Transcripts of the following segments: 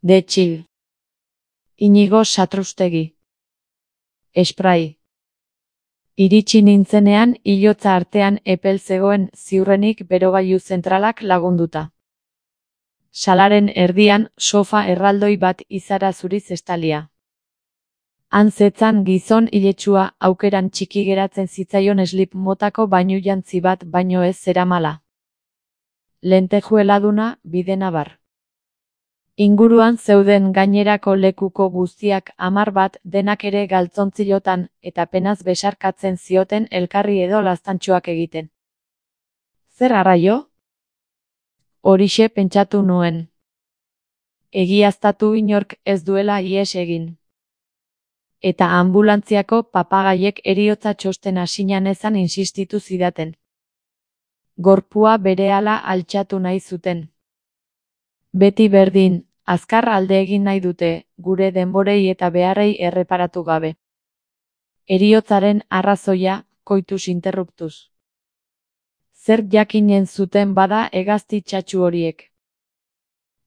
De Chill. Inigo Satrustegi. Spray. Iritsi nintzenean hilotza artean epel zegoen ziurrenik berogailu zentralak lagunduta. Salaren erdian sofa erraldoi bat izara zuriz estalia. Han zetzan gizon iletsua aukeran txiki geratzen zitzaion slip motako bainujantzi bat baino ez zeramala. Lentejueladuna bidenabar. Inguruan zeuden gainerako lekuko guztiak 10 bat denak ere galtzontzilotan eta penaz besarkatzen zioten elkarri edo laztantxoak egiten. Zer arraio? Horixe pentsatu nuen. Egiaztatu inork ez duela ihes egin. Eta ambulantziako papagaiek heriotza txosten asinan ezan insistitu zidaten. Gorpua berehala altxatu nahi zuten. Beti berdin, azkar alde egin nahi dute, gure denborei eta beharrei erreparatu gabe. Heriotzaren arrazoia, koitus interruptuz. Zer jakinen zuten bada hegazti txatxu horiek.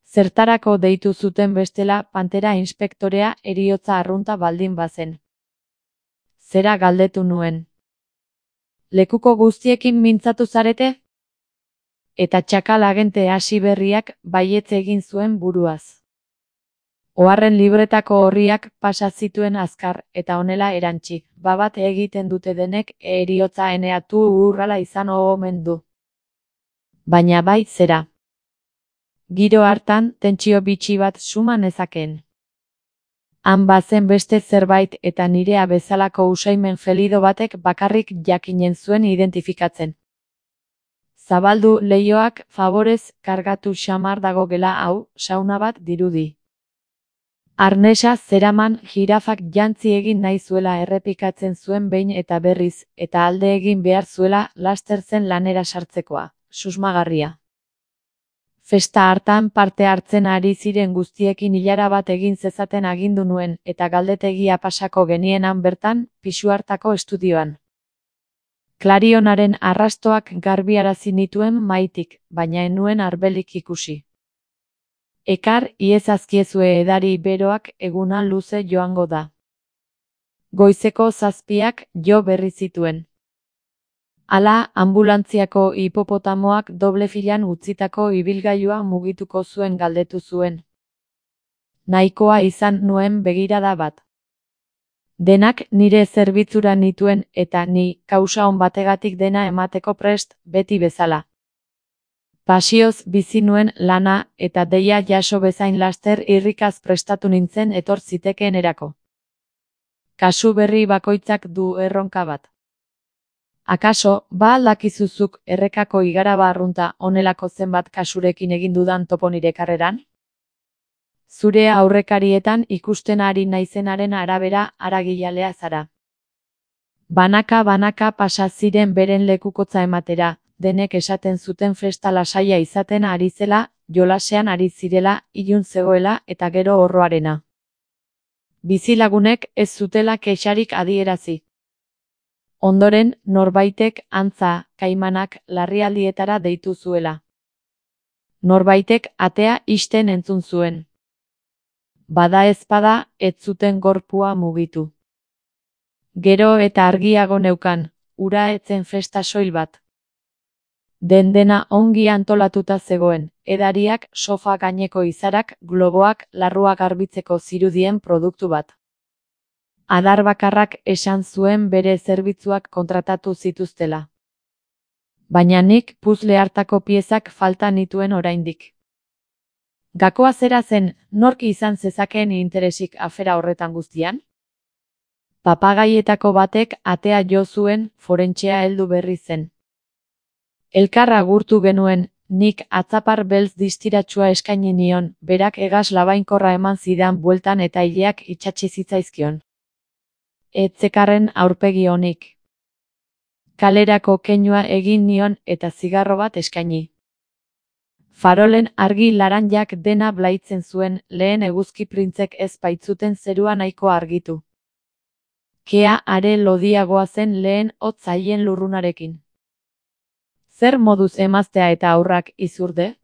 Zertarako deitu zuten bestela pantera inspektorea heriotza arrunta baldin bazen. Zera galdetu nuen. Lekuko guztiekin mintzatu zarete? Eta txakal agente hasi berriak baietz egin zuen buruaz. Oharren libretako horriak pasa zituen azkar eta honela erantzi, babat egiten dute denek heriotza eneatu urrala izan omen du. Baina bai zera. Giro hartan tentsio bitxi bat suma nezakeen. Han bazen beste zerbait eta nirea bezalako usaimen felido batek bakarrik jakinen zuen identifikatzen. Zabaldu leihoak faborez kargatu xamar dago gela hau, sauna bat dirudi. Arnesa zeraman jirafak jantzi egin nahi zuela errepikatzen zuen behin eta berriz, eta alde egin behar zuela laster zen lanera sartzekoa, susmagarria. Festa hartan parte hartzen ari ziren guztiekin ilara bat egin zezaten agindu nuen, eta galdetegia pasako genienan bertan, pisu hartako estudioan. Klarionaren arrastoak garbiarazi nituen maitik, baina enuen arbelik ikusi. Ekar iezazkiezue edari beroak eguna luze joango da. Goizeko 7 jo berri zituen. Hala, ambulantziako hipopotamoak doble filan utzitako ibilgailua mugituko zuen galdetu zuen. Nahikoa izan nuen begirada bat. Denak nire zerbitzura nituen eta ni kausa on bategatik dena emateko prest, beti bezala. Pasioz bizi nuen lana eta deia jaso bezain laster irrikaz prestatu nintzen etor zitekeenerako. Kasu berri bakoitzak du erronka bat. Akaso, ba aldakizuzuk errekako igaraba arrunta honelako zenbat kasurekin egin dudan topo nire karreran? Zure aurrekarietan ikusten ari naizenaren arabera aragilalea zara. Banaka pasa ziren beren lekukotza ematera, denek esaten zuten festa lasaia izaten ari zela, jolasean ari zirela, ilun zegoela eta gero horroarena. Bizilagunek ez zutela kexarik adierazi. Ondoren, norbaitek antza, kaimanak larrialdietara deitu zuela. Norbaitek atea ixten entzun zuen. Bada ezpada, ez zuten gorpua mugitu. Gero eta argiago neukan, ura etzen festa soil bat. Dena ongi antolatuta zegoen, edariak, sofa gaineko izarak, globoak, larrua garbitzeko zirudien produktu bat. Adar bakarrak esan zuen bere zerbitzuak kontratatu zituztela. Baina nik puzle hartako piezak falta nituen oraindik. Gakoa zera zen, nork izan zezakeen interesik afera horretan guztian? Papagaietako batek atea jo zuen, forentxea heldu berri zen. Elkar agurtu genuen, nik atzapar beltz distiratsua eskaini nion, berak hegaz labainkorra eman zidan bueltan eta ileak itsatsi zitzaizkion. Etzekarren aurpegi onik. Kalerako keinua egin nion eta zigarro bat eskaini. Farolen argi laranjak dena blaitzen zuen, lehen eguzki printzek ez baitzuten zerua nahiko argitu. Kea are lodiagoa zen lehen hotz haien lurrunarekin. Zer moduz emaztea eta aurrak izurde?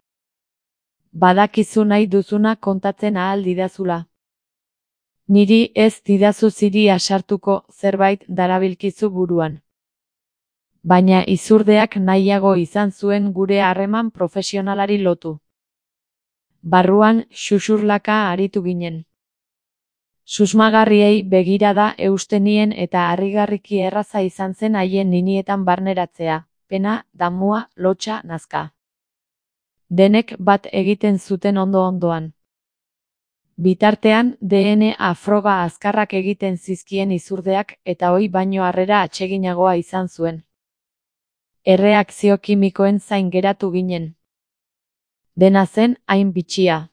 Badakizu nahi duzuna kontatzen ahal didazula. Niri ez didazu ziri asartuko zerbait darabilkizu buruan. Baina izurdeak nahiago izan zuen gure harreman profesionalari lotu. Barruan xuxurlaka aritu ginen. Susmagarriei begirada eustenien eta harrigarriki erraza izan zen haien ninietan barneratzea, pena, damua, lotsa, nazka. Denek bat egiten zuten ondo-ondoan. Bitartean, DNA froga azkarrak egiten zizkien izurdeak eta ohi baino harrera atseginagoa izan zuen. Erreakzio kimikoen zain geratu ginen. Dena zen hain bitxia.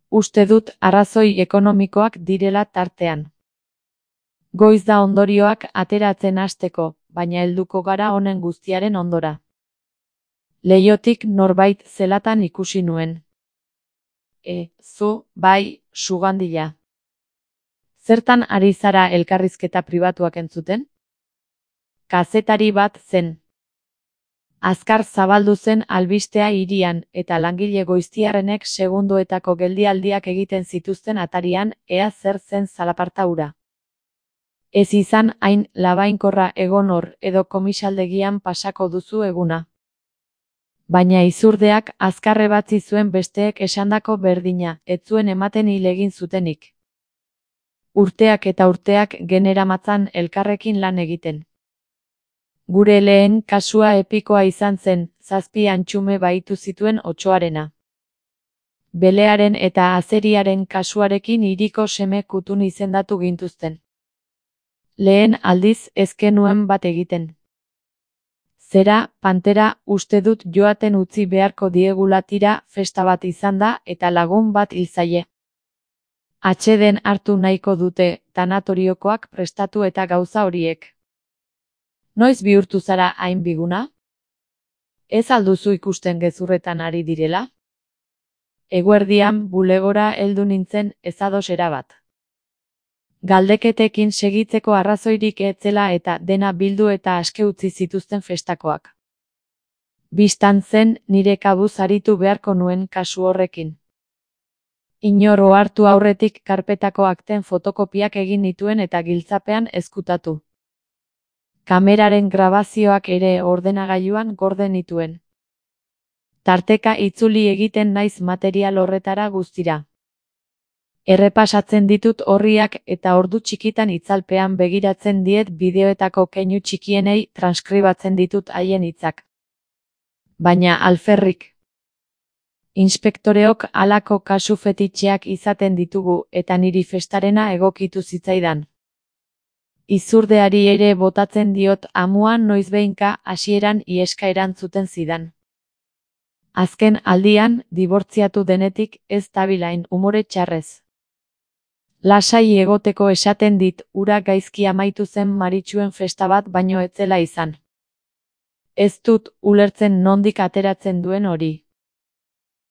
Uste dut arrazoi ekonomikoak direla tartean. Goiz da ondorioak ateratzen hasteko, baina helduko gara honen guztiaren ondora. Leihotik norbait zelatan ikusi nuen. Zu, bai, sugandila. Zertan ari zara elkarrizketa pribatuak entzuten? Kazetari bat zen. Azkar zabaldu zen albistea hirian eta langile goiztiarrenek segundoetako geldialdiak egiten zituzten atarian ea zer zen zalaparta hura. Ez izan hain labainkorra egon hor edo komisaldegian pasako duzu eguna. Baina izurdeak azkarre batzi zuen besteek esandako berdina, ez zuen ematen hil egin zutenik. Urteak eta urteak generamatzan elkarrekin lan egiten. Gure lehen kasua epikoa izan zen, 7 antxume bahitu zituen Otsoarena. Belearen eta Azeriaren kasuarekin hiriko seme kutun izendatu gintuzten. Lehen aldiz ez genuen bat egiten. Zera, Pantera, uste dut joaten utzi beharko diegula tira festa bat izan da eta lagun bat hil zaie. Atxeden hartu nahiko dute tanatoriokoak prestatu eta gauza horiek. Noiz bihurtu zara hain biguna? Ez alduzu ikusten gezurretan ari direla? Eguerdian bulegora heldu nintzen ezados erabat. Galdeketekin segitzeko arrazoirik etzela eta dena bildu eta aske utzi zituzten festakoak. Bistan zen nire kabuz aritu beharko nuen kasu horrekin. Inor ohartu aurretik karpetako akten fotokopiak egin nituen eta giltzapean ezkutatu. Kameraren grabazioak ere ordenagailuan gorde nituen. Tarteka itzuli egiten naiz material horretara guztira. Errepasatzen ditut orriak eta ordu txikitan itzalpean begiratzen diet bideoetako keinu txikienei transkribatzen ditut haien hitzak. Baina alferrik. Inspektoreok halako kasu fetitxeak izaten ditugu eta niri festarena egokitu zitzaidan. Izurdeari ere botatzen diot amuan noizbehinka hasieran ieska erantzuten zidan. Azken aldian, dibortziatu denetik ez dabilain umore txarrez. Lasai egoteko esaten dit ura gaizki amaitu zen Maritxuen festa bat baino etzela izan. Ez dut ulertzen nondik ateratzen duen hori.